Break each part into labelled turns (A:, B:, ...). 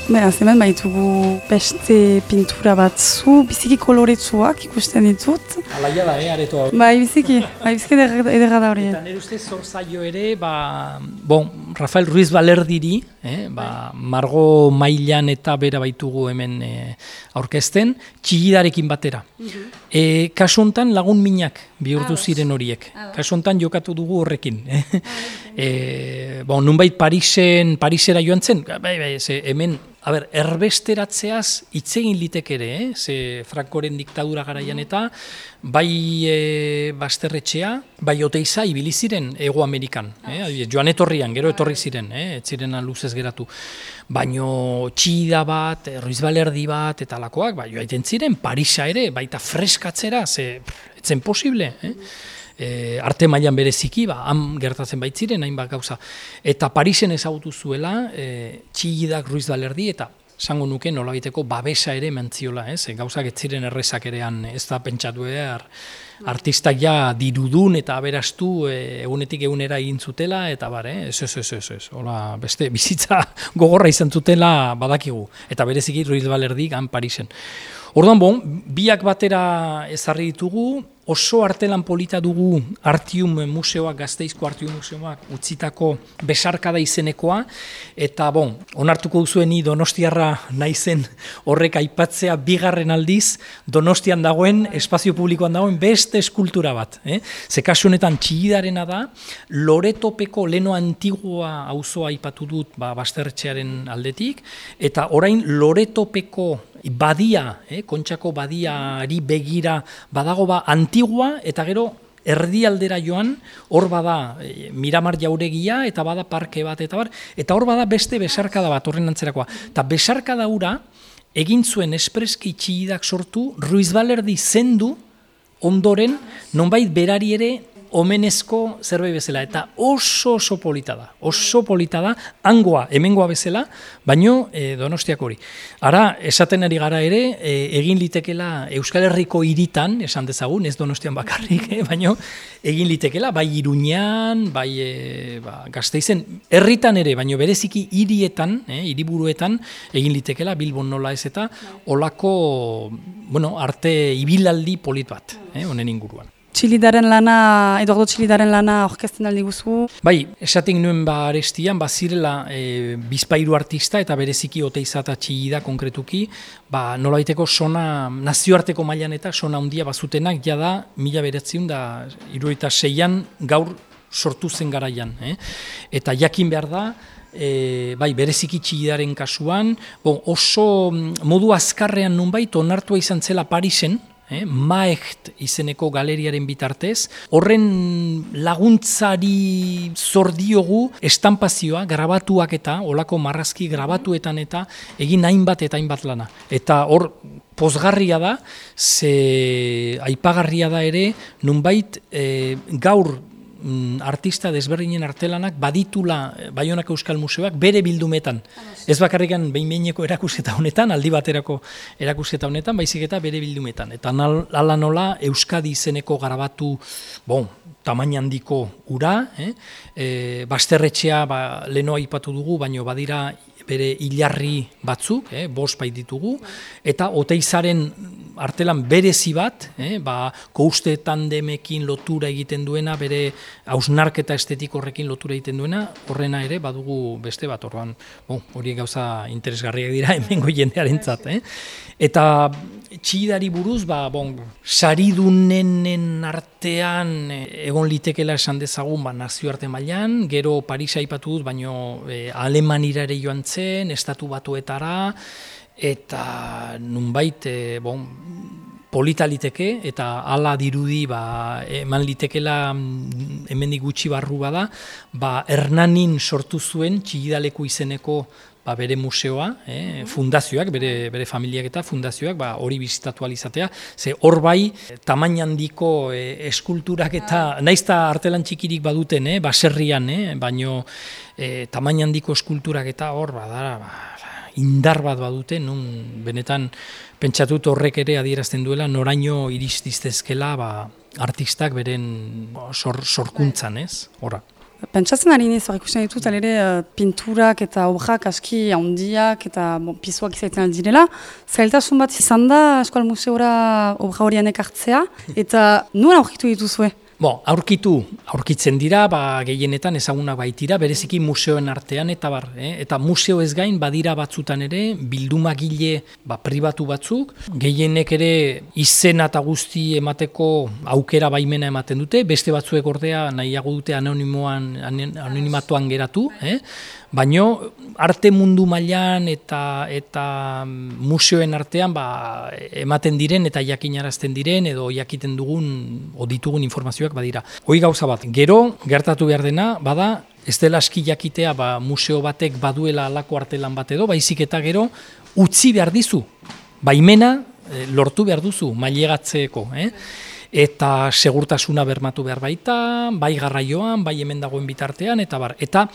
A: Beraz, hemen baitugu beste pintura batzu, biziki koloretsuak ikusten ditut.
B: Alaia da, aretoa.
A: Biziki ederra da hori.
B: Eta nire ustez zor zaio ere, Rafael Ruiz Balerdiri, Margo Mailan eta bera baitugu hemen aurkezten, txigidarekin batera. Kasu hontan lagun minak bihurtu ziren horiek. Kasu hontan jokatu dugu horrekin. Nunbait Parisera joan zen, hemen, erbesteratzeaz hitz egin litek ere, ze Francoren diktadura garaian eta bai Basterretxea, bai Oteiza ibili ziren Hego Amerikan, joan etorrian, gero etorri ziren, ez ziren luzez geratu. Baino txida bat, Ruiz Balerdi bat, eta lakoak, joaiten ziren, Parisa ere, baita freskatzera, ze etzen posible, arte mailan bereziki, han gertatzen baitziren, hainbat gauza. Eta Parisen ezagutu zuela, txigidak Ruiz Balerdi, eta esango nuke nolabaiteko babesa ere mentziola, gauzak ez ziren errezak erean, ez da pentsatu behar, artistak ja dirudun eta aberastu egunetik egunera egin zutela, eta ez. Hola, beste bizitza gogorra izan zutela badakigu, eta bereziki Ruiz Balerdi han Parisen. Orduan, biak batera ezarri ditugu, oso artelan polita dugu Artium Museoak, Gasteizko Artium Museoak utzitako besarkada izenekoa, eta onartuko duzuen ni donostiarra naizen horrek aipatzea bigarren aldiz Donostian dagoen, espazio publikoan dagoen beste eskultura bat. Ze kasu honetan txigidarena da, Loretopeko Leno Antigua auzoa aipatu dut Basterretxearen aldetik, eta orain Loretopeko badia, Kontxako badiari begira badago Antigua, eta gero erdialdera joan, hor bada Miramar jauregia, eta bada parke bat, eta hor bada beste besarkada bat horren antzerakoa. Eta besarkada hura egin zuen espreski txigidak sortu, Ruiz Balerdi zendu ondoren, nonbait berari ere omenezko zerbait bezala, eta oso polita da, hangoa, hemengoa bezala, baino Donostiako hori. Ara, esaten ari gara ere, egin litekela Euskal Herriko hiritan, esan dezagun, ez Donostian bakarrik, baino egin litekela, bai Iruñan, bai Gasteizen, herritan ere, baino bereziki hirietan, hiriburuetan, egin litekela, Bilbon nola ez eta, olako, arte ibilaldi polit bat, honen inguruan.
A: Eduardo Txilidaren lana orkesten aldi guzu.
B: Bai, esaten nuen arestian, zirela bizpahiru artista eta bereziki Oteiza eta Txilida konkretuki, nolabaiteko sona, nazioarteko mailan eta sona handia bazutenak, jada 1976an gaur sortu zen garaian. Eta jakin behar da, bereziki Txilidaren kasuan, oso modu azkarrean nunbait onartua izan zela Parisen, Maecht izeneko galeriaren bitartez, horren laguntzari zor diogu estampazioa, grabatuak eta, olako marrazki grabatuetan eta egin hainbat eta hainbat lana. Eta hor pozgarria da, ze aipagarria da ere, nunbait gaur artista desberdinen artelanak baditula Baionako Euskal Museoak bere bildumetan. Ez bakarrikan behin-behineko erakusketa honetan, aldi baterako erakusketa honetan, baizik eta bere bildumetan. Eta hala nola Euskadi izeneko grabatu, tamaina handiko ura, Basterretxea leno aipatu dugu, baino badira bere hilarri batzuk, 5 baititugu, eta Oteizaren artelan berezi bat, kouste tandemekin lotura egiten duena, bere hausnarketa estetik horrekin lotura egiten duena, horrena ere badugu beste bat, orduan, horiek gauza interesgarriak dira hemengo jendearentzat. Eta Txilidari buruz, saridunenen artean egon litekela esan dezagun nazioarte mailan, gero Parisa aipatu dut, baino Alemanira ere joan zen, Estatu Batuetara, eta nunbait polita liteke, eta hala dirudi eman litekela hemendik gutxi barru bada, Hernanin sortu zuen Txilidaleku izeneko bere museoa, fundazioak, bere familiak eta fundazioak, hori bizitatu alizatea, ze hor bai, tamaina handiko eskulturak eta, naizta artelan txikirik baduten, baserrian, baino tamaina handiko eskulturak eta hor, indar bat badute, nun benetan pentsatut horrek ere adierazten duela, noraino iristiztezkela artistak beren sorkuntzan, horra.
A: Pentsatzen ari niz, ikusten ditut, ere pinturak eta obrak aski handiak eta pisoak izaiten aldirela. Zailtasun bat izan da, Eskual Museora obra horian ekartzea, eta nuen aurkitu dituzue?
B: Aurkitzen dira, gehienetan ezagunak baitira, bereziki museoen artean eta eta museo ez gain badira batzutan ere bildumagile pribatu batzuk, gehienek ere izena eta guzti emateko aukera baimena ematen dute, beste batzuek ordea nahiago dute anonimatuan geratu, baino arte mundu mailan eta museoen artean ematen diren eta jakinarazten diren edo jakiten dugun o ditugun informazioak badira. Hoi gauza bat, gero gertatu behar dena, bada ez dela aski jakitea museo batek baduela alako artelan bat edo, baizik eta gero utzi behar dizu, baimena lortu behar duzu mailegatzeko, eta segurtasuna bermatu behar baita, bai garraioan, bai hemen dagoen bitartean, eta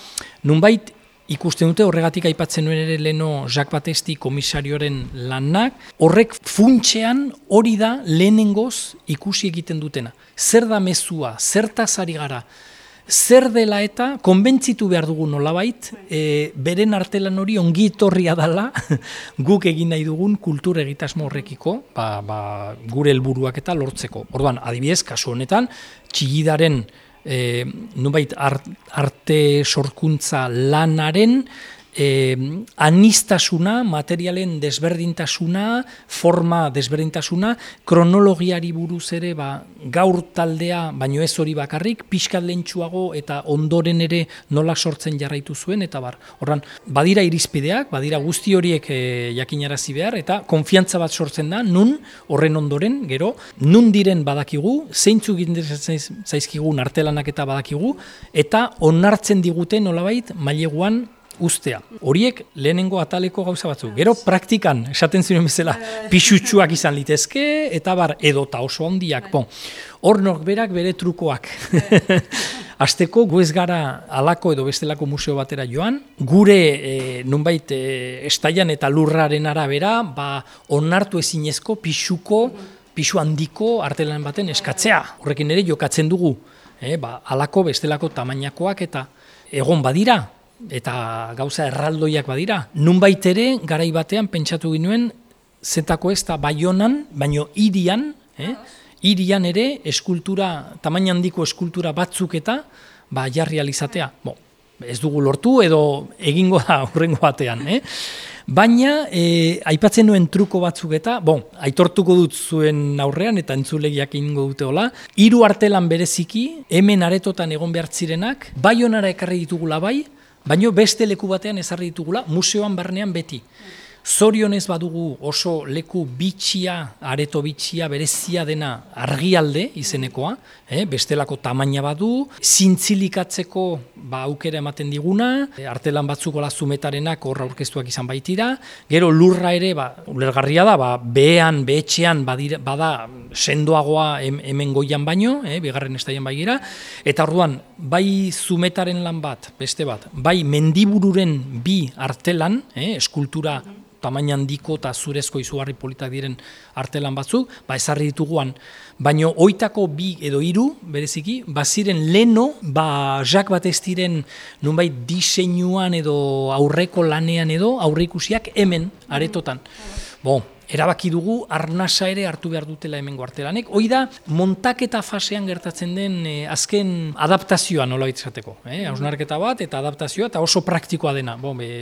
B: nunbait ikusten dute horregatik aipatzen nuen ere leno Jacques Batesti komisarioaren lanak, horrek funtsean hori da lehenengoz ikusi egiten dutena. Zer da mezua, zertaz ari gara, zer dela eta konbentzitu behar dugu nolabait, beren artelan hori ongi etorria dela guk egin nahi dugun kultur egitasmo horrekiko, gure helburuak eta lortzeko. Orduan, adibidez, kasu honetan, Txillidaren nubait arte sorkuntza lanaren anistasuna, materialen desberdintasuna, forma desberdintasuna, kronologiari buruz ere gaur taldea, baino ez hori bakarrik, pixkat lehentsuago eta ondoren ere nola sortzen jarraitu zuen, eta horran, badira irizpideak, badira guzti horiek jakinarazi behar, eta konfiantza bat sortzen da, nun horren ondoren, gero, nun diren badakigu, zeintzuk interesatzen zaizkigun artelanak eta badakigu, eta onartzen digute nolabait maileguan ustea. Horiek lehenengo ataleko gauza batzu. Gero praktikan, esaten ziren bezala, pixutsuak izan litezke, eta edota oso handiak. Hor berak bere trukoak. Azteko gu ez gara alako edo bestelako museo batera joan, gure nunbait estaian eta lurraren arabera, onartu ezinezko pixu handiko artelan baten eskatzea. Horrekin ere jokatzen dugu, alako bestelako tamainakoak eta egon badira, eta gauza erraldoiak badira. Nunbait ere, garai batean pentsatu ginuen, zetako ez da Baionan, baino hirian ere eskultura, tamaina handiko eskultura batzuk eta jarri alizatea. Ez dugu lortu edo egingo da hurrengo batean. Baina, aipatzen nuen truko batzuk eta, aitortuko dut zuen aurrean eta entzulegiak egingo dute hola, 3 artelan bereziki, hemen aretotan egon behar zirenak, Baionara ekarri ditugula baino beste leku batean ezarri ditugula, museoan barnean beti. Zorionez badugu oso leku bitxia, areto bitxia, berezia dena argialde izenekoa, bestelako tamaina badu, zintzilikatzeko aukera ematen diguna, artelan batzuk zumetarenak hor aurkeztuak izan baitira, gero lurra ere, ulergarria da, behetxean bada sendoagoa hemen goian baino, bigarren estaian baigira, eta orduan, bai zumetaren lan bat, beste bat, bai mendibururen 2 artelan, eskultura tamaina handiko eta zurezko izugarri politak diren artelan batzuk, ezarri dituguan, baino oitako 2 edo 3, bereziki, baziren leno, Jacques Batestiren nunbait diseinuan edo aurreko lanean edo aurreikusiak hemen, aretotan. Erabaki dugu arnasa ere hartu behar dutela hemengo artelanek. Hoi da, montaketa fasean gertatzen den azken adaptazioa nola izateko. Hausnarketa bat eta adaptazioa eta oso praktikoa dena.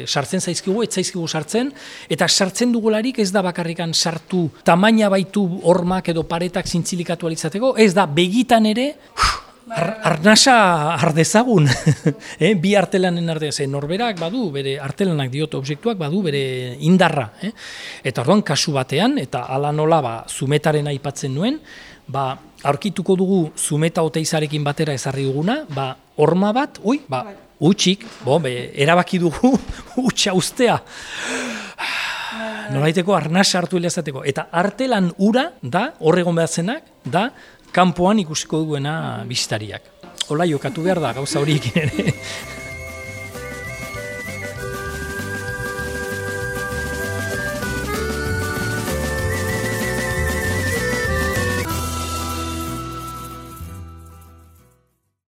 B: Sartzen zaizkigu, ez zaizkigu sartzen, eta sartzen dugularik ez da bakarrikan sartu tamaina baitu hormak edo paretak zintzilikatu alizateko, ez da begitan ere arnasa ardezagun, bi artelanen ardezagun, norberak badu, bere artelanak diote objektuak badu, bere indarra. Eta orduan, kasu batean, eta ala nola zumetaren aipatzen nuen, aurkituko dugu zumeta oteizarekin batera ezarri duguna, horma bat, utxik, erabaki dugu utxa ustea. Nolaiteko arnasa hartu hilazateko. Eta artelan ura da, horregon behatzenak, da, kanpoan ikusiko duena bisitariak. Hola, jokatu behar da, gauza horiek ere.